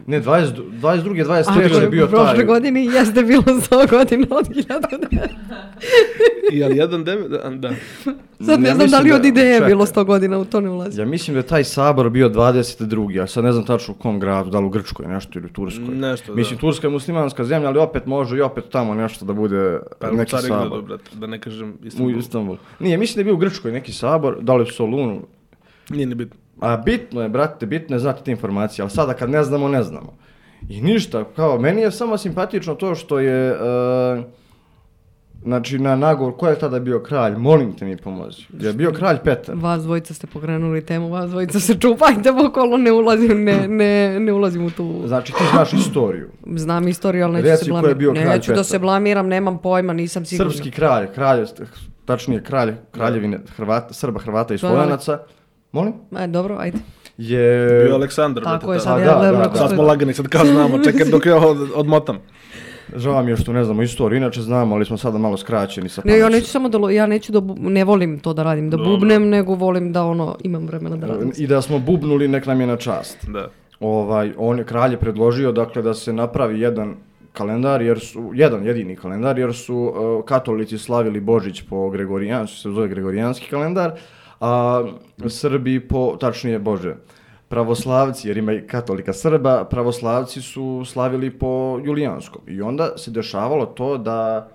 Ne, dvadeset druge dvadeset treće je bio taj... U prošle godini jeste bilo sto godina od hiljadu devetsto I ali jedan devet, da. da. Sad ne, ne znam da li od ideje je bilo sto godina, u to ne ulazi. Ja mislim da je taj sabor bio dvadeset drugi a sad ne znam tačno u kom gradu, da li u Grčkoj nešto ili u Turskoj. Nešto, da. Mislim, Turska je muslimanska zemlja, ali opet može i opet tamo nešto da bude pa, neki sabor. Gradu, brate, da ne kažem Istanbul. U Istanbul. Nije, mislim da je bio u Grčkoj neki sabor, da li u Solunu. Nije ni bitno. A bitno je, brate, bitno je znati te informacije, ali sada kad ne znamo, ne znamo. I ništa, kao, meni je samo simpatično to što je, uh, znači, na nagovor, ko je tada bio kralj, molim te mi pomozi, je bio kralj Petar. Vas dvojica ste pokrenuli temu, vas dvojica se čupajte okolo, ne ulazim, ne, ne, ne ulazim u tu... Znači, ti znaš istoriju. Znam istoriju, ali neću Reci se blamiram. Neću Petar. Da se blamiram, nemam pojma, nisam sigurna. Srpski kralj, kralj, tačnije kralj, kraljevine Hrvata, Srba, Hrvata i Slovanaca. Molim? E, dobro, ajde. Je... Bio Aleksandar. Tako je, sad, sad ja ja gledam. da, da, sad smo lagani, sad kao znamo, čekaj dok ja od, odmotam. Žao mi je što ne znamo istoriju, inače znamo, ali smo sada malo skraćeni sa Ne, ja neću samo da, ja neću da, ne volim to da radim, da Dobro. bubnem, nego volim da ono, imam vremena da radim. I da smo bubnuli, nek nam je na čast. Da. Ovaj, on je, kralj je predložio, dakle, da se napravi jedan kalendar, jer su, jedan jedini kalendar, jer su uh, katolici slavili Božić po Gregorijansku, se zove Gregorijanski kalendar, a Srbi po, tačnije Bože, pravoslavci, jer ima i katolika Srba, pravoslavci su slavili po Julijanskom. I onda se dešavalo to da,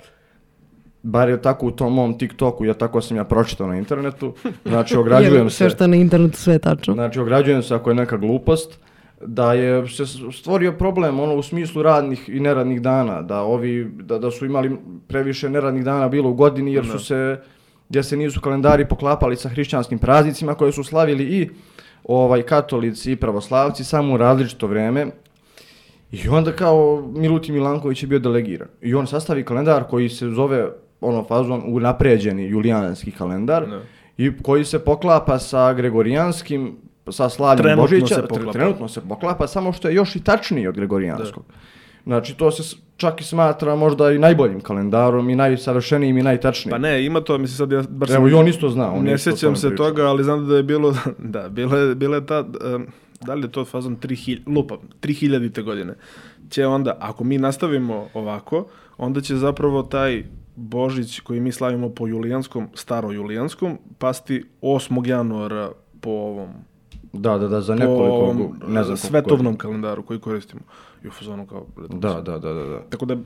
bar je tako u tom mom TikToku, ja tako sam ja pročitao na internetu, znači ograđujem se... Sve što je na internetu, sve je tačno. Znači ograđujem se ako je neka glupost, da je se stvorio problem ono u smislu radnih i neradnih dana, da ovi da, da su imali previše neradnih dana bilo u godini jer su se gdje se nisu kalendari poklapali sa hrišćanskim praznicima koje su slavili i ovaj katolici i pravoslavci samo u različito vrijeme. I onda kao Milutin Milanković je bio delegiran. I on sastavi kalendar koji se zove ono fazon unapređeni julijanski kalendar ne. I koji se poklapa sa gregorijanskim sa slavljem trenutno Božića, se poklapa. trenutno se poklapa, samo što je još i tačniji od gregorijanskog. Da. Znači, to se čak i smatra možda i najboljim kalendarom i najsavršenijim i najtačnijim. Pa ne, ima to, mislim sad ja... Bar Evo, i on isto zna. On ne isto sjećam se priča. toga, ali znam da je bilo... Da, bila je, bila je ta... Um, da li je to fazon tri hiljade, lupa, tri hiljadite godine. Će onda, ako mi nastavimo ovako, onda će zapravo taj Božić koji mi slavimo po julijanskom, staro-julijanskom, pasti osmog januara po ovom... Da, da, da, za nekoliko, po, ne znam svetovnom kalendaru koji koristimo. I u fazonu kao... Da, da, da, da, da. Tako da,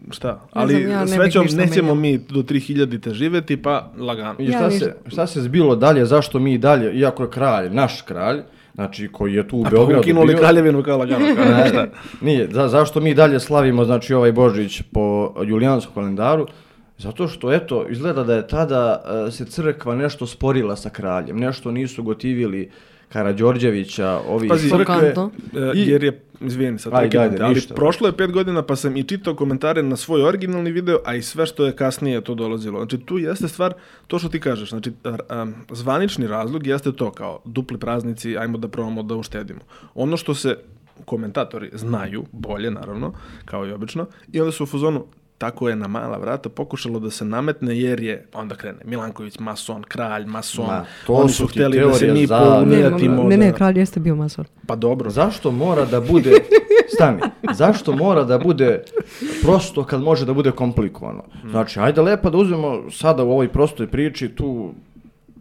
šta, Ne ali znam, ja ne srećom bih ništa nećemo menjala. mi do tri hiljadite živjeti, pa lagano. I Ja šta, ništa. se, šta se zbilo dalje, zašto mi dalje, iako je kralj, naš kralj, znači koji je tu u A Beogradu pa ukinuli bio... kraljevinu kao lagano. Kao, Ne, šta? Nije, za, zašto mi dalje slavimo znači ovaj Božić po julijanskom kalendaru? Zato što, eto, izgleda da je tada uh, se crkva nešto sporila sa kraljem, nešto nisu gotivili Karađorđevića, ovi Pazi, iz crkve. Šokantno. E, I- jer je izvijeni sad, Ajde, prekidam ajde, te, ali ništa. prošlo je pet godina pa sam i čitao komentare na svoj originalni video, a i sve što je kasnije to dolazilo. Znači tu jeste stvar, to što ti kažeš, znači a, a, zvanični razlog jeste to kao dupli praznici, ajmo da probamo da uštedimo. Ono što se komentatori znaju, bolje naravno, kao i obično, i onda su u fazonu, tako je na mala vrata pokušalo da se nametne jer je, onda krene, Milanković mason, kralj mason, Ma, to oni su su ti htjeli da se teorije mi za- Ne, pounijatimo. ne, ne, da- kralj jeste bio mason. Pa dobro, Zašto mora da bude, stani, zašto mora da bude prosto kad može da bude komplikovano? Znači, ajde lepo da uzmemo sada u ovoj prostoj priči tu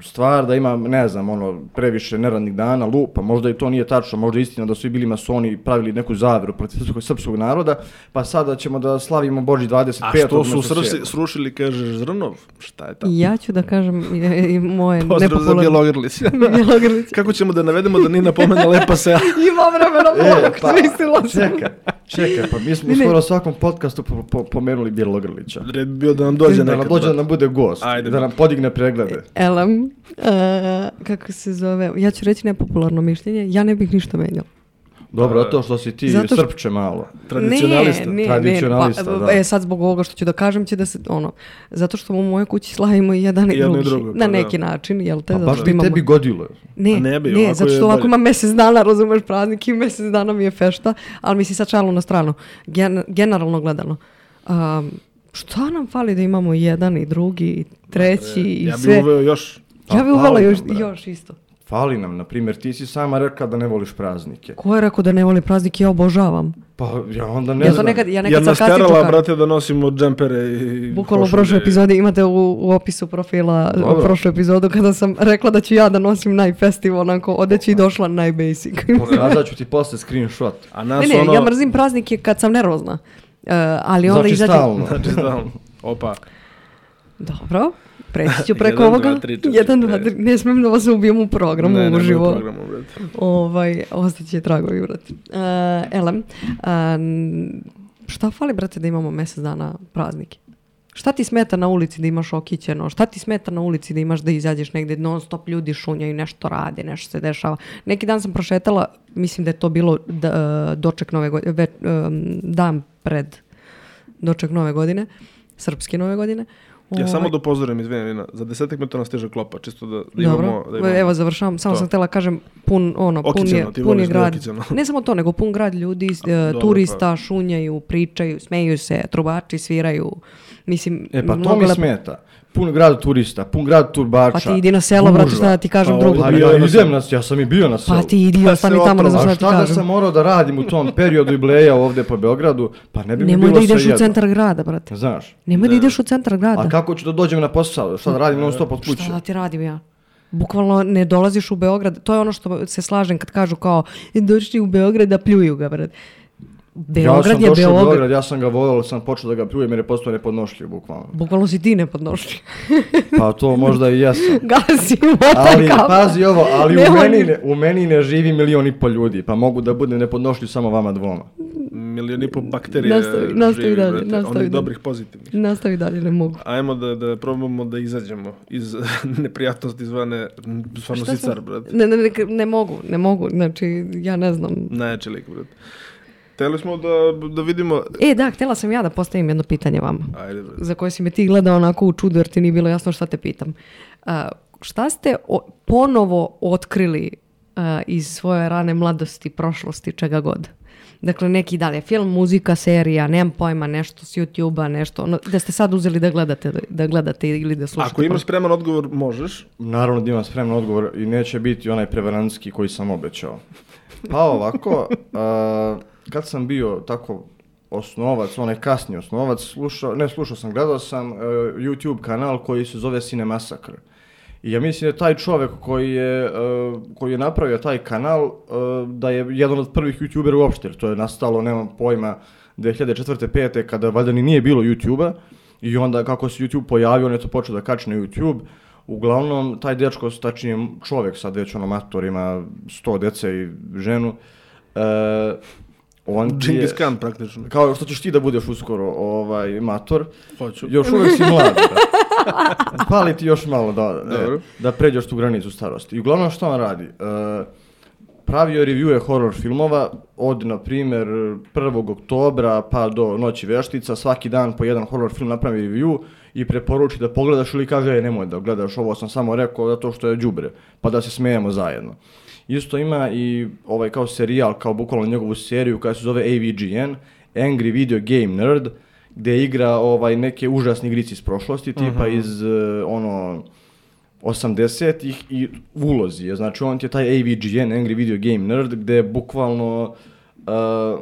stvar da ima, ne znam, ono, previše neradnih dana, lupa, možda i to nije tačno, možda je istina da su i bili masoni i pravili neku zaveru protiv srpskog, srpskog naroda, pa sada ćemo da slavimo Boži dvadeset a petog što su umjesto srsi, sedmog. srušili, kaže Zrnov, šta je tamo? Ja ću da kažem i, i moje Pozdrav za nepopularne... Bjelogrlić. Bjelogrlić. Kako ćemo da navedemo da Nina pomene lepa sela? Ima vremena, E, Bog, pa, smislila sam. čekaj, čekaj, pa mi smo Ne, ne. skoro u svakom podcastu po, po, pomenuli Bjelogrlića. Red bi bio da nam dođe Da nekad. nam dođe da nam bude gost, Ajde. da nam podigne preglede. Elem, e, kako se zove, ja ću reći nepopularno mišljenje, ja ne bih ništa menjala. Dobro, to što si ti Zato što- srpče malo. Tradicionalista. Ne, ne, Tradicionalista, ne, pa, da. E, sad zbog ovoga što ću da kažem će da se, ono, zato što u mojoj kući slavimo i jedan i I jedno i drugi. drugo, pa na da. neki način, jel te? Pa zato baš što bi imamo... tebi godilo. Ne, A ne bi, ne, ovako zato je što ovako bolje. ima mjesec dana, razumeš praznik i mjesec dana mi je fešta, ali mislim sad šalu na stranu, Gen- generalno gledano. Um, šta nam fali da imamo i jedan i drugi i treći i Ja bi sve? uveo još. Ja bi Pa, uvela fali još, nam, brate. još isto. Fali nam, na primjer, ti si sama rekla da ne voliš praznike. Ko je rekao da ne voli praznik? Ja obožavam. Pa ja onda ne Ja to znam. nekad, ja Ja nekad nas sarkastično terala, kažem. brate, da nosimo džempere i Bukvalno u košulje. prošloj epizodi imate u, u opisu profila Dobro. u prošlu epizodu kada sam rekla da ću ja da nosim najfestival onako odeći i došla najbasic. Pokazat ću ti posle screenshot. A nas Ne, ne, ono... ja mrzim praznike kad sam nervozna. Uh, ali onda Znači izađem... stalno. Znači, stalno. Opa. Dobro, preći ću preko Jedan, ovoga. dva, tri, četiri, Jedan, dva, pet. tri. Ne smijem da vas ubijem u programu Ne, ne, uživo. u programu, brate. Ovaj, ostaće tragovi, brate. Uh, elem, um, šta fali, brate, da imamo mjesec dana praznike? Šta ti smeta na ulici da imaš okićeno? Šta ti smeta na ulici da imaš da izađeš negdje non stop ljudi šunjaju, nešto rade, nešto se dešava? Neki dan sam prošetala, mislim da je to bilo da, doček nove godine, ve, um, dan pred doček nove godine, srpske nove godine. Ja Ovaj, samo da upozorim, izvini, Nina, za desetak minuta nas stiže klopa, čisto da, da Dobro, imamo... Da imamo. evo završavam, samo to. sam htjela kažem pun, ono, pun Okićeno, je, ti pun je voliš da je grad, okićeno. ne samo to, nego pun grad ljudi, e, dobro, turista, pa. šunjaju, pričaju, smeju se, trubači sviraju, mislim, E pa to mnogo mi lepo. smeta. Pun grad turista, pun grad turbača. Pa ti idi na selo, brate, gužva. šta da ti kažem Pa drugo. Pa ovdje- ja Bio na idem selu. na, ja sam i bio na selu. Pa ti idi, Pa ostani se tamo, ne otrova. znam A šta ti šta da kažem. sam morao da radim u tom periodu i bleja ovdje po Beogradu, pa ne bi mi Nemoj bilo da ideš u svejedno. centar grada, brate. Znaš, Nemoj da ideš u centar grada. a kako ću da dođem na posao? Šta da radim non stop od kuće? Šta da ti radim ja? Bukvalno ne dolaziš u Beograd. To je ono što se slažem kad kažu kao došli u Beograd da pljuju ga, brate. Ja Beograd sam je došao u Beograd. Beograd, ja sam ga volao, sam počeo da ga pljujem jer je postao nepodnošljiv, bukvalno. Bukvalno si ti nepodnošljiv. Pa to možda i jesam. Gasi Ali, motaj kao. pazi ovo, ali u Nemoj. meni, ne, u meni ne živi milion i pol ljudi, pa mogu da budem nepodnošljiv samo vama dvoma. Milijon i pol bakterije Nastavi- nastavi živi, dalje, brate, nastavi onih dalje. dobrih pozitivnih. Nastavi dalje, ne mogu. Ajmo da, da probamo da izađemo iz neprijatnosti zvane stvarno Šta sam- sicar, brate. Ne, ne, ne, ne mogu, ne mogu. Znači, ja ne znam. Najjači lik, brate. Htjeli smo da, da vidimo... E, da, htjela sam ja da postavim jedno pitanje vama. Ajde, brate. Za koje si me ti gledao onako u čudu jer ti nije bilo jasno šta te pitam. A, šta ste o- ponovo otkrili a, iz svoje rane mladosti, prošlosti, čega god? Dakle, neki dalje film, muzika, serija, nemam pojma, nešto s YouTube-a, nešto, ono, da ste sad uzeli da gledate, da gledate ili da slušate. Ako imaš spreman odgovor, možeš. Naravno da imam spreman odgovor i neće biti onaj prevarantski koji sam obećao. Pa ovako, a, kad sam bio tako osnovac, onaj kasni osnovac, slušao, ne slušao sam, gledao sam uh, YouTube kanal koji se zove Cinemasakr. I ja mislim da je taj čovjek koji je, uh, koji je napravio taj kanal, uh, da je jedan od prvih YouTubera uopšte, jer to je nastalo, nemam pojma, dvije hiljade četvrte pete kada valjda ni nije bilo YouTube-a i onda kako se YouTube pojavio, on je to počeo da kači na YouTube. Uglavnom, taj dečko, tačnije čovjek sad već ono mator, ima sto dece i ženu, uh, on ti je, Džingis Khan praktično. kao što ćeš ti da budeš uskoro ovaj, mator, Hoću. još uvijek si mlad. Da. Fali ti još malo da, e, Dobro. da pređeš tu granicu starosti. I uglavnom što on radi? E, pravio reviewe horror filmova od, na primjer, prvog oktobra pa do Noći veštica, svaki dan po jedan horror film napravi review i preporuči da pogledaš ili kaže, e, nemoj da gledaš, ovo sam samo rekao zato što je đubre, pa da se smijemo zajedno. Isto ima i ovaj kao serijal, kao bukvalno njegovu seriju koja se zove A V G N, Angry Video Game Nerd, gdje igra ovaj neke užasne igrice iz prošlosti, tipa uh-huh. iz uh, ono osamdesetih i u ulozi je. Znači on ti je taj A V G N, Angry Video Game Nerd, gdje bukvalno uh,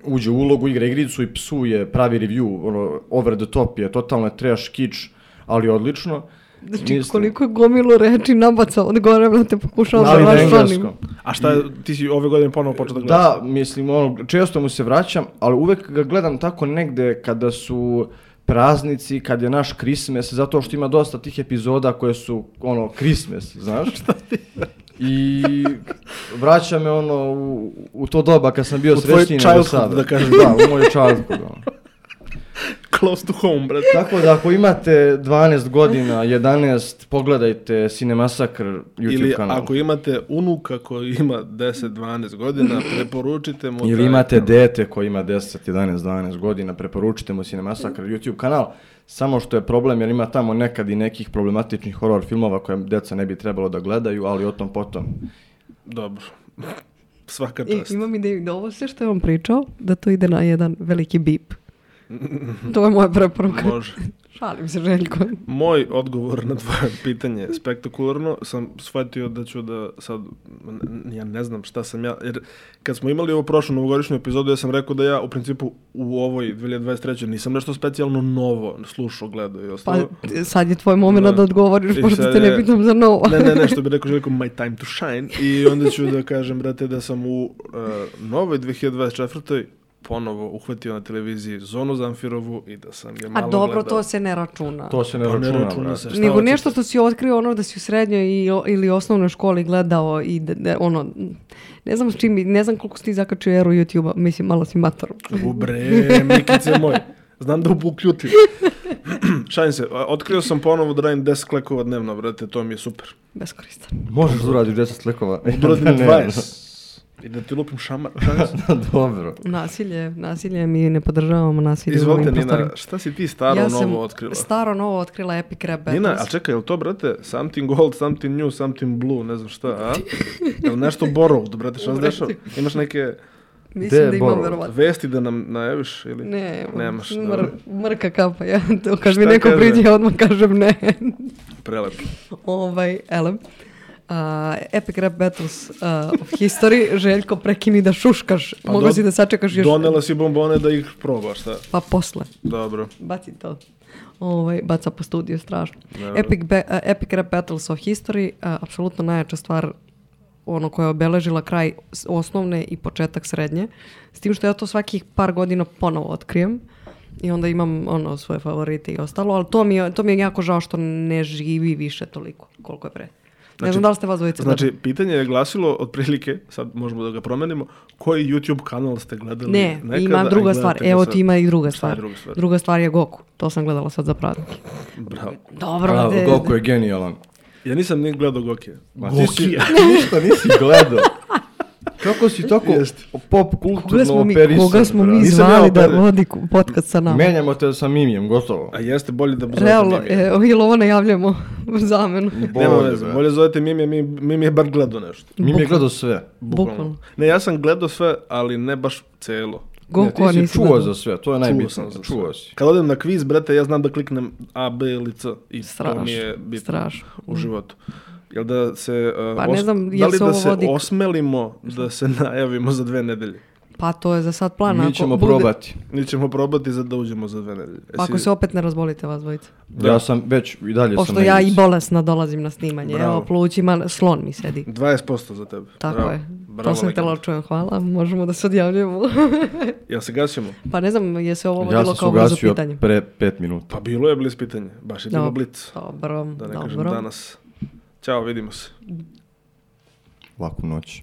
uđe u ulogu, igra igricu i psuje, pravi review, ono, over the top je, totalno je trash, kič, ali odlično. Znači, mislim, koliko je gomilu reči nabacao od gore, da te pokušao da raščlanim. A šta, ti si ove godine ponovo počeo da gledaš? Da, mislim, ono, često mu se vraćam, ali uvek ga gledam tako negde kada su praznici, kad je naš Christmas, zato što ima dosta tih epizoda koje su, ono, Christmas, znaš? I vraća me, ono, u, u to doba kad sam bio srećniji nego sada. Da kažem. Da, u moju childhood, ono. Close to home, brate. Tako da ako imate dvanaest godina, jedanaest, pogledajte Cinemasakr YouTube ili kanal. Ili ako imate unuka koji ima deset dvanaest godina, preporučite mu... Ili imate dete koji ima deset jedanaest dvanaest godina, preporučite mu Cinemasakr YouTube kanal. Samo što je problem jer ima tamo nekad i nekih problematičnih horror filmova koje deca ne bi trebalo da gledaju, ali o tom potom. Dobro. Svaka čast. I, imam ideju da ovo sve što je on pričao, da to ide na jedan veliki bip. To je moja preporuka. Može. Šalim se, Željko. Moj odgovor na tvoje pitanje spektakularno sam shvatio da ću da sad, ja ne znam šta sam ja, jer kad smo imali ovo prošlu novogodišnju epizodu, ja sam rekao da ja u principu u ovoj dvije hiljade dvadeset trećoj nisam nešto specijalno novo slušao, gledao i ostalo. Pa sad je tvoj moment da, da odgovoriš, pošto te ne pitam za novo. Ne, ne, ne, što bi rekao Željko, my time to shine. I onda ću da kažem, brate, da sam u uh, novoj dvije hiljade dvadeset četvrtoj ponovo uhvatio na televiziji Zonu Zamfirovu i da sam ga malo A dobro, gledao. to se ne računa. To se ne To računa. ne računa se. Nego nešto što si otkrio ono da si u srednjoj i, ili osnovnoj školi gledao i da, da, ono, ne znam s čim, ne znam koliko si ti zakačio eru YouTube-a, mislim, malo si mator. U bre, Mikice moj, znam da ukljutim. Šalim se, otkrio sam ponovo da radim deset klekova dnevno, brate, to mi je super. Beskoristan. Možeš da uradiš deset klekova. Uradim dvadeset. I da ti lupim šamar. Dobro. Nasilje, nasilje mi ne podržavamo nasilje. Izvolite, Nina, šta si ti staro ja novo otkrila? Ja sam staro novo otkrila Epic Rap Battles. Nina, a čekaj, je li to, brate, something gold, something new, something blue, ne znam šta, a? Je li nešto borrowed, brate, šta se dešava? Imaš neke... Mislim da imam verovatno. Vesti da nam najaviš ili? Ne, nemaš. Mr, mrka kapa, ja to kad mi neko priđe, ja odmah kažem ne. Prelepo. Ovaj, elem. Uh, Epic Rap Battles uh, of History, Željko, prekini da šuškaš, pa mogu do, si da sačekaš još... Donela si bombone da ih probaš, šta? Pa posle. Dobro. Baci to. Ovaj, baca po studiju, strašno. Dobro. Epic, ba- uh, Epic Rap Battles of History, uh, apsolutno najjača stvar ono koja je obeležila kraj osnovne i početak srednje. S tim što ja to svakih par godina ponovo otkrijem. I onda imam ono svoje favorite i ostalo, ali to mi je, to mi je jako žao što ne živi više toliko koliko je pre. Znači, ne znam da li ste vas dvojice znači, gledali. pitanje je glasilo otprilike, sad možemo da ga promenimo, koji YouTube kanal ste gledali ne, nekada? ima druga stvar. Evo ti ima i druga stvar. druga stvar. Druga stvar je Goku. To sam gledala sad za praznike. Bravo. Dobro, Bravo, de, Goku je genijalan. Ja nisam ni gledao Gokija. Ma ti si, ništa nisi gledao. Kako si tako pop kulturno operisan? Koga smo mi zvali da vodi podcast sa nama? Menjamo te sa Mimijem, gotovo. A jeste bolje da zovete Realno, Mimija. e, ili ovo najavljamo zamenu. Nema veze, bolje zovete Mimija, Mimija je bar gledao nešto. Mimije je gledao sve. Bukvalno. Ne, ja sam gledao sve, ali ne baš celo. Goku, ne, ti si čuo gledao za sve, to je najbitno. Čuo si. Kad odem na kviz, brate, ja znam da kliknem A, B ili C i strašno, to mi je bitno strašno. u životu. Jel da se, uh, pa, ne znam, os- da li da se vodi... osmelimo da se najavimo za dve nedelje? Pa to je za sad plan. Mi ćemo bude... probati. Mi ćemo probati za da uđemo za dve nedelje. Pa ako se opet ne razbolite vas dvojice. Da. Ja sam već i dalje Pošto sam ja i bolesna dolazim na snimanje. Bravo. Evo, plućima slon mi sedi. dvadeset posto za tebe. Tako Bravo. je. Bravo, to sam htjela čujem. Hvala. Možemo da se odjavljujemo. Jel se gasimo? Pa ne znam, je se ovo ja vodilo kao blizu pitanje. Ja sam se ugasio pre pet minuta. Pa bilo je bliz pitanje. Baš je bilo blic. Dobro, da ne dobro. kažem danas. Ćao, vidimo se. Laku noć.